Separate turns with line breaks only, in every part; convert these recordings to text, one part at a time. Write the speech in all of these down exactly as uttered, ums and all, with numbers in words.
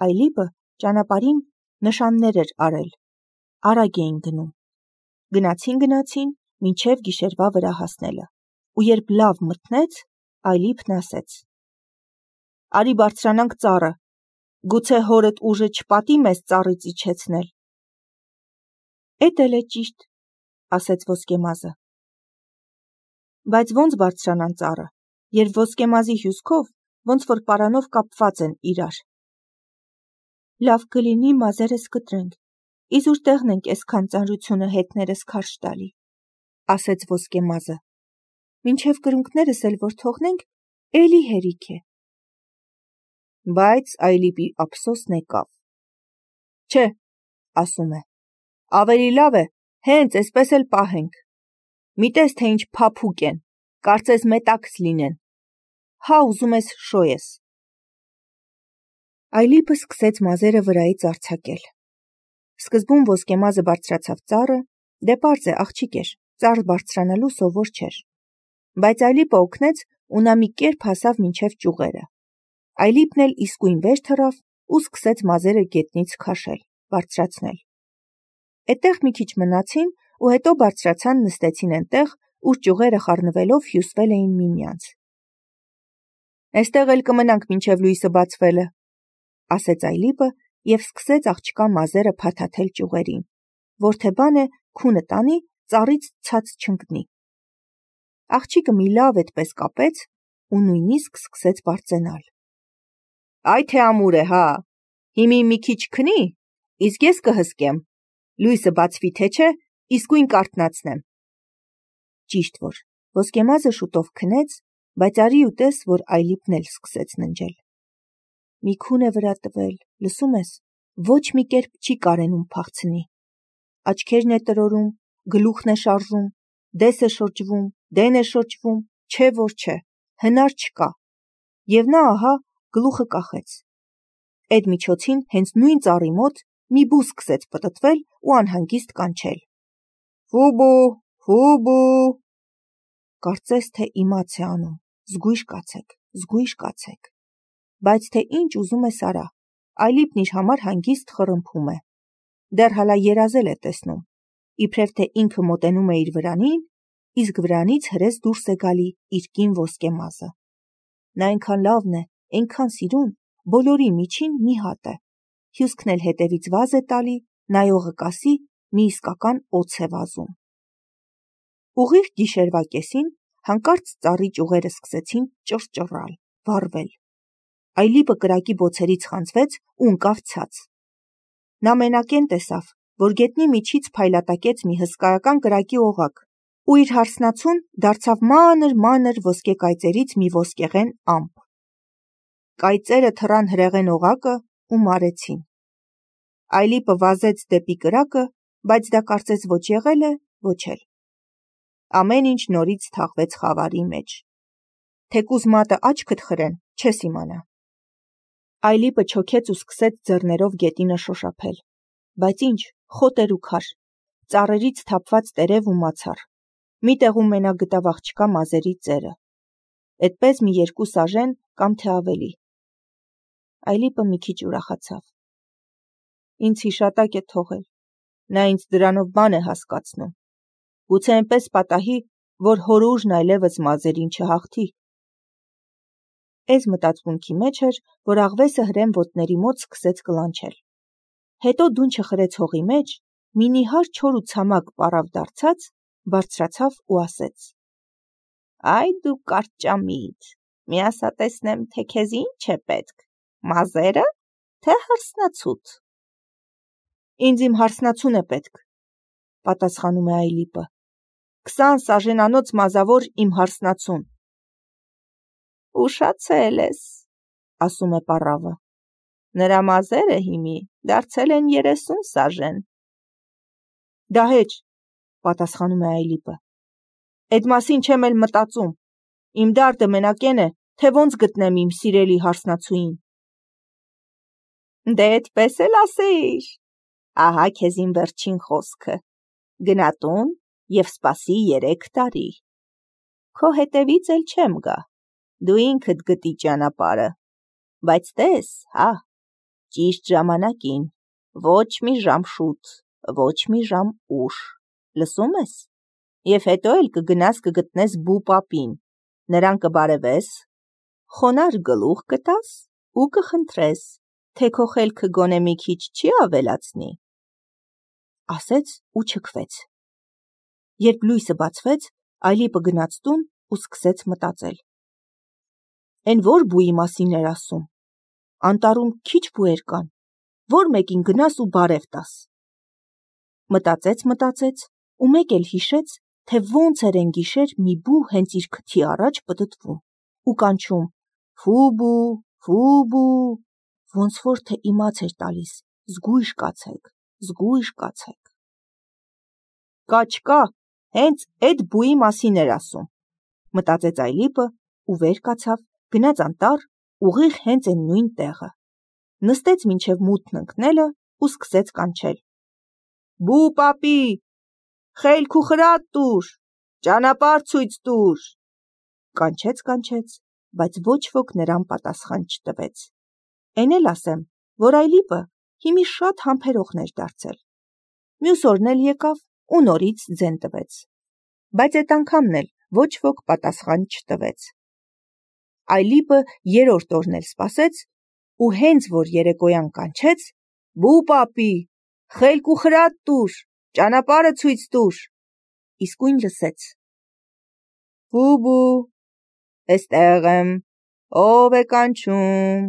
Այլիպը ճանապարհին նշաններ էր արել, արագ էին գնում։ Գնացին գնացին, մինչև գիշերվա վրա հասնելը, ու երբ լավ մթնեց, Այլիպն ասեց. «Արի բարձրանանք ծառը, գուցե հորդ ուժը չպատի մեզ ծառից իջեցնել»։ «Էդ էլ է ճիշտ», ասեց ոսկեմազը։ Բայց ո՞նց բարձրանան ծառը, երբ ոսկեմազի հյուսքով ոնց որ պարանով կապված են իրար։ «Լավ կլինի մազերս կտրենք, իզուր տեղն ենք էսքան ծանրությունը հետներս քարշ տալի», ասեց ոսկեմազը։ «Մինչև կրունկներս էլ որ թողնենք, էլի հերիք է»։ Բայց Այլիպի ափսոսն եկավ։ «Չէ», ասում է, «ավելի լավ է հենց էսպես էլ պահենք։ Մի տես, թե ինչ փափուկ են, կարծես մետաքս լինեն։ Հա ուզում ես շոյ ես»։ Այլիպը սկսեց մազերը վրայից արձակել։ Սկզբում ոսկեմազը բարձրացավ ծառը, դե պարզ է, աղջիկ էր, ծառ բարձրանալու սովոր չէր։ Բայց Այլիպը օգնեց ու նա մի կերպ հասավ մինչև ճյուղերը։ Այլիպն էլ իսկույն վեր թռավ ու սկսեց մազերը գետնից քաշել, բարձրացնել։ Էդտեղ մի քիչ մնացին ու հետո բարձրացան, նստեցին այնտեղ, ուր ճյուղերը խառնվելով հյուսվել էին միմյանց։ «Էստեղ էլ կմնանք մինչև լույսը բացվելը», ասեց Այլիպը և սկսեց աղջկա մազերը փաթաթել ճյուղերին, որ թե բան է քունը տանի, ծառից ցած չընկնի։ Աղջիկը մի լավ էդպես կապեց ու նույնիսկ սկսեց բարձենալ։ «Այ թե ամուր է, հա, հիմի մի քիչ քնի, իսկ ես կհսկեմ, լույսը բացվի թե չէ, իսկույն կարթնացնեմ»։ Ճիշտ որ ոսկեմազը շուտով քնեց, բայց արի ու տես, որ Այլիպն էլ սկսեց ննջել։ «Մի քուն է վրա տվել, լսում ես, ոչ մի կերպ չի կարենում փախցնի։ Աչքերն է տրորում, գլուխն է շարժում, դես է շրջվում, դեն է շրջվում, չէ որ չէ, հնար չկա։ Եվ նա ահա գլուխը կախեց։ Էդ միջոցին հենց նույն ծառի մոտ մի բու սկսեց պտտվել ու անհանգիստ կանչել. «Ֆուբու, ֆուբու»։ Կարծես թե իմաց է անում, զգույշ կացեք, զգույշ կացեք։ Բայց թե ինչ ուզում ես արա, Այլիպն իր համար հանգիստ խռմփում է։ Դեռ հալա երազել է տեսնում, իբրև թե ինքը մոտենում է իր վրանին, իսկ վրանից հրես դուրս է գալի իր կին ոսկեմազը։ Նա այնքան լավն է, այնքան սիրուն, բոլորի միջին մի հատ է, հյուսքն էլ հետևից վազ է տալի, նայողը կասի մի իսկական օձ է վազում։ Ուղիղ գիշերվա կեսին հանկարծ ծառի ճյուղերը սկսեցին ճռճռալ, վառվել։ Այլիպը կրակի բոցերից խանձվեց ու ընկավ ցած։ Նա մենակեն տեսավ, որ գետնի միջից փայլատակեց մի հսկայական կրակի օղակ, ու իր հարսնացուն դարձավ մանր-մանր ոսկե կայծերից մի ոսկեղեն ամպ։ Կայծերը թռան հրեղեն օղակը ու մարեցին։ Այլիպը վազեց դեպի կրակը, բայց դա կարծես ոչ եղել է, ոչ էլ։ Ամեն ինչ նորից թաղվեց խավարի մեջ։ Թեկուզ մատը աչքդ խրեն, չես իմանա։ Այլիպը չոքեց ու սկսեց ձեռներով գետինը շոշափել։ Բայց ինչ, խոտ էր ու քար, ծառերից թափված տերև ու մացառ։ Մի տեղում մենակ գտավ աղջկա մազերի ծերը։ Էդպես մի երկու սաժեն կամ թե ավելի։ Այլիպը մի քիչ ուրախացավ։ Ինձ հիշատակ է թողել, նա ինձ դրանով բան է հասկացնում։ Գուցե այնպես պատահի, որ հոր ուժն այլևս մազերին չհաղթի։ Էս մտածմունքի մեջ էր, որ աղվեսը հրեն ոտների մոտ սկսեց կլանչել։ Հետո դունչը խրեց հողի մեջ, մի նիհար չոր ու ցամաք պառավ դարձած, բարձրացավ ու ասեց. «Այ դու կարճամիտ, մի ասա տեսնեմ, թե քեզ ինչ է պետք, մազերը, թե հարսնացուդ»։ «Ինձ իմ հարսնացուն է պետք», պատասխանում է Այլիպը։ «Քսան սաժենանոց մազավոր իմ հարսնացուն»։ «Ուշացել ես», ասում է պառավը։ «Նրա մազերը հիմի դարձել են երեսուն սաժեն»։ «Դահեճ», պատասխանում է Այլիպը։ «Էդ մասին չեմ էլ մտածում։ Իմ դարդը մենակեն է, թե ոնց գտնեմ իմ սիրելի հարսնացուին»։ «Դե էդպես էլ ասեիր։ Ահա քեզ իմ վերջին խոսքը. գնա տուն և սպասի երեք տարի։ Քո հետևից էլ չեմ գա, դու ինքդ գտի ճանապարհը, բայց տես, հա, Ճիշտ ժամանակին, ոչ մի ժամ շուտ, ոչ մի ժամ ուշ, լսում ես, և հետո էլ կգնաս կգտնես բու պապին, նրան կբարևես, խոնար գլուխ կտաս ու կխնդրես, թե քո խելքը գոնե մի քիչ չի ավելացնի, ասեց ու չքվեց։ Երբ լույսը բացվեց, Այլիպը գնաց տուն ու սկսեց մտածել. Էն որ բուի մասին էր ասում, անտառում քիչ բուեր կան, որ մեկին գնաս ու բարև տաս։ Մտածեց, մտածեց ու մեկ էլ հիշեց, թե ոնց էր են գիշեր մի բու հենց իր քթի առաջ պտտվում ու կանչում. «Ֆուբու, Ֆուբու», ոնց որ թե իմաց էր տալիս. «Զգույշ կացեք, զգույշ կացեք»։ Կա չկա, հենց էդ բուի մասին էր ասում, մտածեց Այլիպը ու վեր կացավ, գնաց անտառ, ուղիղ հենց այն նույն տեղը, նստեց մինչև մութն ընկնելը ու սկսեց կանչել. «Բու պապի, խելք ու խրատ տուր, ճանապարհ ցույց տուր»։ Կանչեց, կանչեց, բայց ոչ ոք նրան պատասխան չտվեց։ Էն էլ ասեմ, որ Այլիպը հիմի շատ համբերողն էր դարձել։ Մյուս օրն էլ եկավ ու նորից ձեն տվեց, բայց այդ անգամն էլ ոչ ոք պատասխան չտվեց։ Այլիպը երրորդ օրն էլ սպասեց ու հենց որ երեկոյան կանչեց. «Բու պապի, խելք ու խրատ տուր, ճանապարհը ցույց տուր», իսկույն լսեց. «Ֆուբու, էստեղ եմ, ով է կանչում»։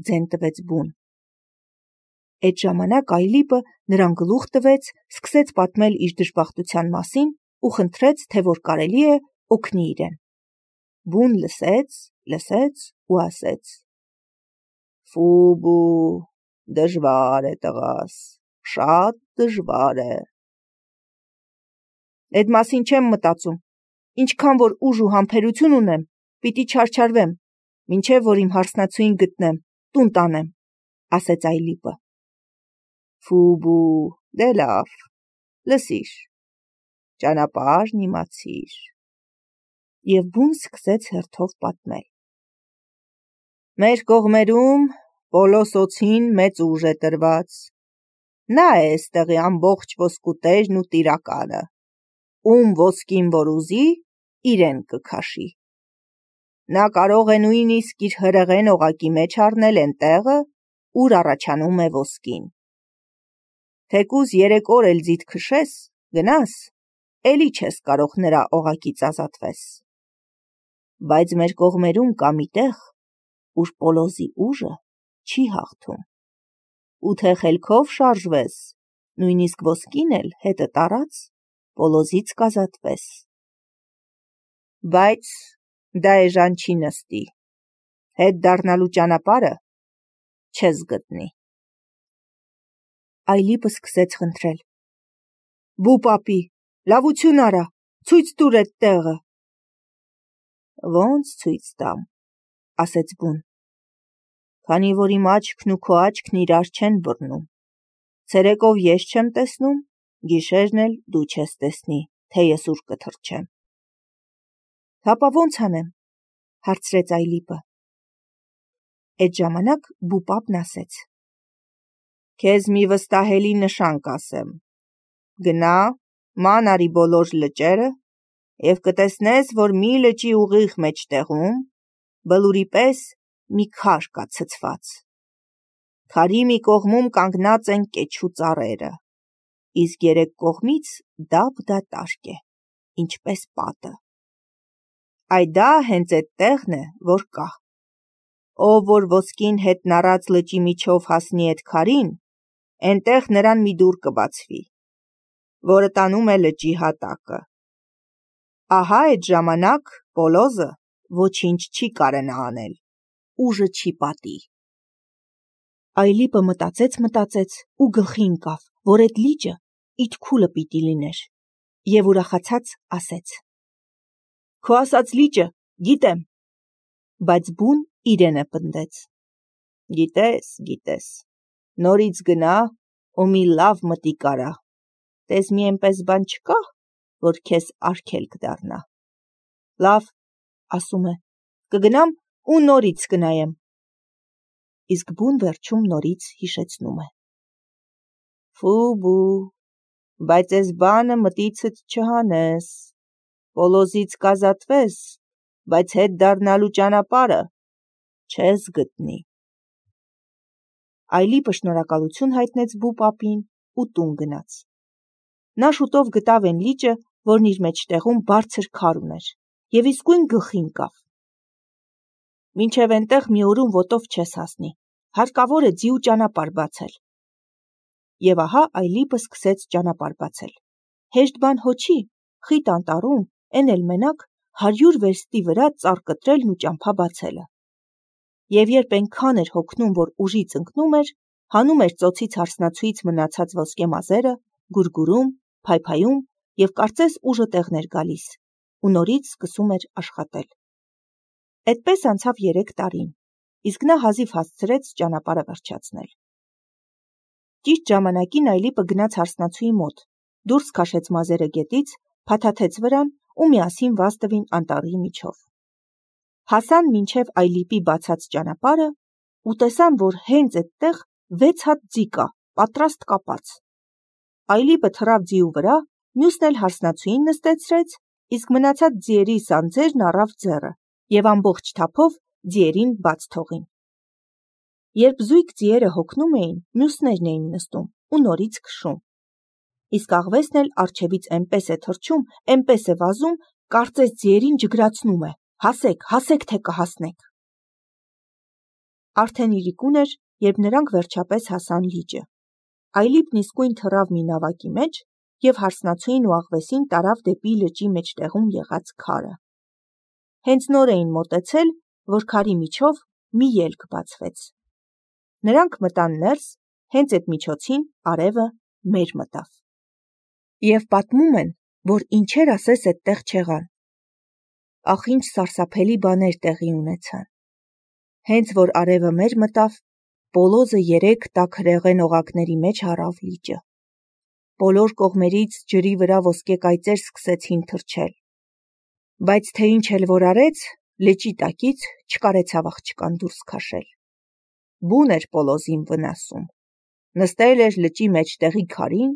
Ձեն տվեց բուն։ Այդ ժամանակ Այլիպը նրան գլուխ տվեց, սկսեց պատմել իր դժբախտության մասին ու խնդրեց, թե որ կարելի է օգնի իրեն։ Բուն լսեց, լսեց ու ասեց. «Ֆուբու, դժվար է տղաս, շատ դժվար է»։ Էդ մասին չեմ մտածում, ինչքան որ ուժ ու համբերություն ունեմ, պիտի չարչարվեմ, մինչև որ իմ հարսնացուին գտնեմ, տուն տանեմ, ասեց Այլիպը։ Ֆուբու, դե լավ, լսիր, ճանապարհն իմացիր։ Եվ բուն սկսեց հերթով պատմել. Մեր կողմերում Պոլոս օձին մեծ ուժ է տրված։ Նա է էստեղի ամբողջ ոսկու տերն ու տիրակալը, ում ոսկին որ ուզի, իրեն կքաշի։ Նա կարող է նույնիսկ իր հրեղեն օղակի մեջ առնել են տեղը, ուր առաջանում է ոսկին։ Թեկուզ երեք օր էլ ձիթ քշես, գնաս, էլի չես կարող նրա օղակից ազատվես։ Բայց մեր կողմերում կա մի տեղ, ուր Պոլոզի ուժը չի հաղթում։ Ու թե խելքով շարժվես, նույնիսկ ոսկին էլ հետդ առած, Պոլոզից կազատվես։ Բայց դա էժան չի նստի, հետ դառնալու ճանապարհը չես գտնի։ Այլիպը սկսեց խնդրել. Բու պապի, լավություն արա, ցույց տուր էդ տեղը։ Ոնց ցույց տամ, ասեց բուն, քանի որ իմ աչքն ու քո աչքն իրար չեն բռնում։ Ցերեկով ես չեմ տեսնում, գիշերն էլ դու չես տեսնի, թե ես ուր կթռչեմ։ Հապա ոնց անեմ, հարցրեց Այլիպը։ Այդ ժամանակ բու պապն ասեց. Քեզ մի վստահելի նշան կասեմ։ Գնա, ման արի բոլոր լճերը և կտեսնես, որ մի լճի ուղիղ մեջտեղում բլուրի պես մի քար կա ցցված։ Քարի մի կողմում կանգնած են կեչու ծառերը, իսկ երեք կողմից դափ դատարկ է, ինչպես պատը։ Այ դա հենց էդ տեղն է, որ կա։ Ով որ ոսկին հետն առած լճի միջով հասնի էդ քարին, էնտեղ նրան մի դուռ կբացվի, որը տանում է լճի հատակը։ Ահա այդ ժամանակ Պոլոզը ոչինչ չի կարենա անել, ուժը չի պատի։ Այլիպը մտածեց, մտածեց ու գլխի ընկավ, որ այդ լիճը Իթքուլը պիտի լիներ, և ուրախացած ասեց. Քո ասած լիճը գիտեմ։ Բայց բուն իրենը պնդեց. Գիտես, գիտես, նորից գնա ու մի լավ մտիկ արա, տես մի էնպես բան չկա, որ քեզ արգելք դառնա։ Լավ, ասում է, կգնամ ու նորից կնայեմ։ իսկ բուն վերջում նորից հիշեցնում է. Ֆու-բու, բայց ես բանը մտիցդ չհանես, Պոլոզից կազատվես, բայց հետ դառնալու ճանապարհը չես գտնի։ Այլիպը շնորհակալություն հայտնեց բու պապին ու տուն գնաց։ Նա շուտով գտավ այն լիճը, որն իր մեջտեղում բարձր քար ուներ, և իսկույն գլխի ընկավ։ Մինչև այնտեղ մի օրում ոտով չես հասնի, հարկավոր է ձիու ճանապարհ բացել։ Եվ ահա Այլիպը սկսեց ճանապարհ բացել։ Հեշտ բան հո չի, խիտ անտառում, էն էլ մենակ հարյուր վերստի վրա ծառ կտրելն ու ճամփա բացելը։ Եվ երբ այնքան էր հոգնում, որ ուժից ընկնում էր, հանում էր ծոցից հարսնացուից մնացած ոսկե մազերը, գուրգուրում, փայփայում և կարծես ուժը տեղն էր գալիս, ու նորից սկսում էր աշխատել։ Այդպես անցավ երեք տարին, իսկ նա հազիվ հասցրեց ճանապարհը վերջացնել։ Ճիշտ ժամանակին Այլիպը գնաց հարսնացուի մոտ, դուրս քաշեց մազերը գետից, փաթաթեց վրան ու միասին վազ տվին անտառի միջով։ Հասան մինչև Այլիպի բացած ճանապարհը ու տեսան, որ հենց այդտեղ վեց հատ ձի կա, պատրաստ կապած։ Այլիպը թռավ ձիու վրա, մյուսն էլ հարսնացուին նստեցրեց, իսկ մնացած ձիերի սանձերն առավ ձեռը և ամբողջ թափով ձիերին բաց թողին։ Երբ զույգ ձիերը հոգնում էին, մյուսներն էին նստում ու նորից քշում։ Իսկ աղվեսն էլ առջևից էնպես է թռչում, էնպես է վազում, կարծես ձիերին ջգրացնում է. հասեք, հասեք, թե կհասնեք։ Արդեն իրիկուն էր, երբ նրանք վերջապես հասան լիճը։ Այլիպն իսկույն թռավ մի նավակի մեջ և հարսնացուին ու աղվեսին տարավ դեպի լճի մեջտեղում եղած քարը։ Հենց նոր էին մոտեցել, որ քարի միջով մի ելք բացվեց։ Նրանք մտան ներս, հենց այդ միջոցին արևը մեր մտավ։ Եվ պատմում են, որ ինչեր ասես այդտեղ չեղան։ Ախ, ինչ սարսափելի բաներ տեղի ունեցան։ Հենց որ արևը մեր մտավ, Պոլոզը երեք տաք հրեղեն օղակների մեջ առավ լիճը։ Բոլոր կողմերից ջրի վրա ոսկե կայծեր սկսեցին թռչել։ Բայց թե ինչ էլ որ արեց, լճի տակից չկարեցավ աղջկան դուրս քաշել։ Բուն էր Պոլոզին վնասում։ Նստել էր լճի մեջտեղի քարին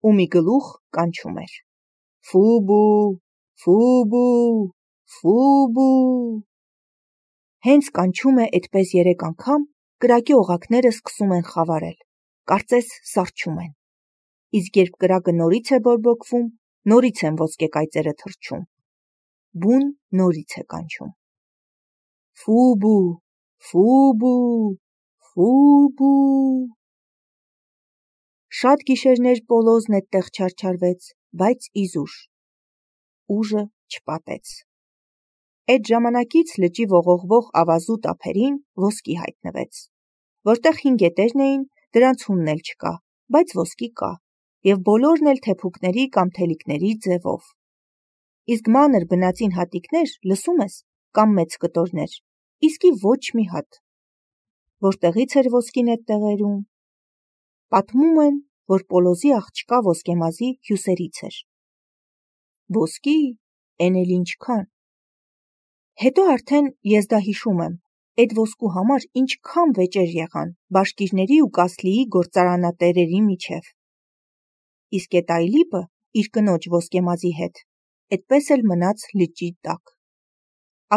ու մի գլուխ կանչում էր. Ֆու-բու, ֆու-բու, ֆու-բու։ Հենց կանչում է այդպես երեք անգամ, կրակի օղակները սկսում են խավարել, կարծես սառչում են։ Իսկ երբ կրակը նորից է բորբոքվում, նորից են ոսկե կայծերը թռչում։ Բուն նորից է կանչում. Ֆու-բու, ֆու-բու, ֆու-բու։ Շատ գիշերներ Պոլոզն այդտեղ չարչարվեց, բայց իզուր ուժը չպատեց։ Այդ ժամանակից լճի ողողվող ավազու ափերին ոսկի հայտնվեց։ Որտեղ հին գետերն էին, դրանց հունն էլ չկա, բայց ոսկի կա, և բոլորն էլ թեփուկների կամ թելիկների ձևով։ Իսկ մանր բնածին հատիկներ, լսում ես, կամ մեծ կտորներ, իսկի ոչ մի հատ։ Որտեղից էր ոսկին այդ տեղերում։ Պատմում են, որ Պոլոզի աղջկա ոսկեմազի հյուսերից էր։ Ոսկի, էն էլ ինչքան։ Հետո արդեն ես դա հիշում եմ, այդ ոսկու համար ինչքան վեճեր եղան բաշկիրների ու Կասլիի գործարանատերերի միջև։ Իսկ էդ Այլիպը իր կնոջ ոսկեմազի հետ այդպես էլ մնաց լճի տակ։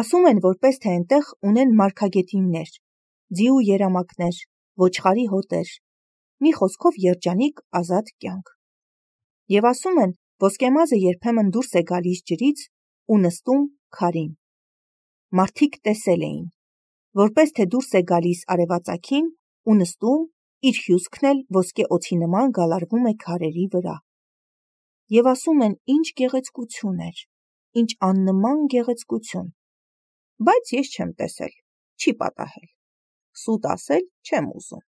Ասում են, որպես թե այնտեղ ունեն մարգագետիններ, ձիու երամակներ, ոչխարի հոտեր, մի խոսքով երջանիկ ազատ կյանք։ Եվ ասում են, ոսկեմազը երբեմն դուրս է գալիս ջրից ու նստում քարին։ Մարդիկ տեսել էին, որպես թե դուրս է գալիս արևածագին ու նստում, իր հյուսքն էլ ոսկե օձի նման գալարվում է քարերի վրա։ Եվ ասում են, ինչ գեղեցկություն էր, ինչ աննման գեղեցկություն։ Բայց ես չեմ տեսել, չի պատահել։ Սուտ ասել չեմ ուզում։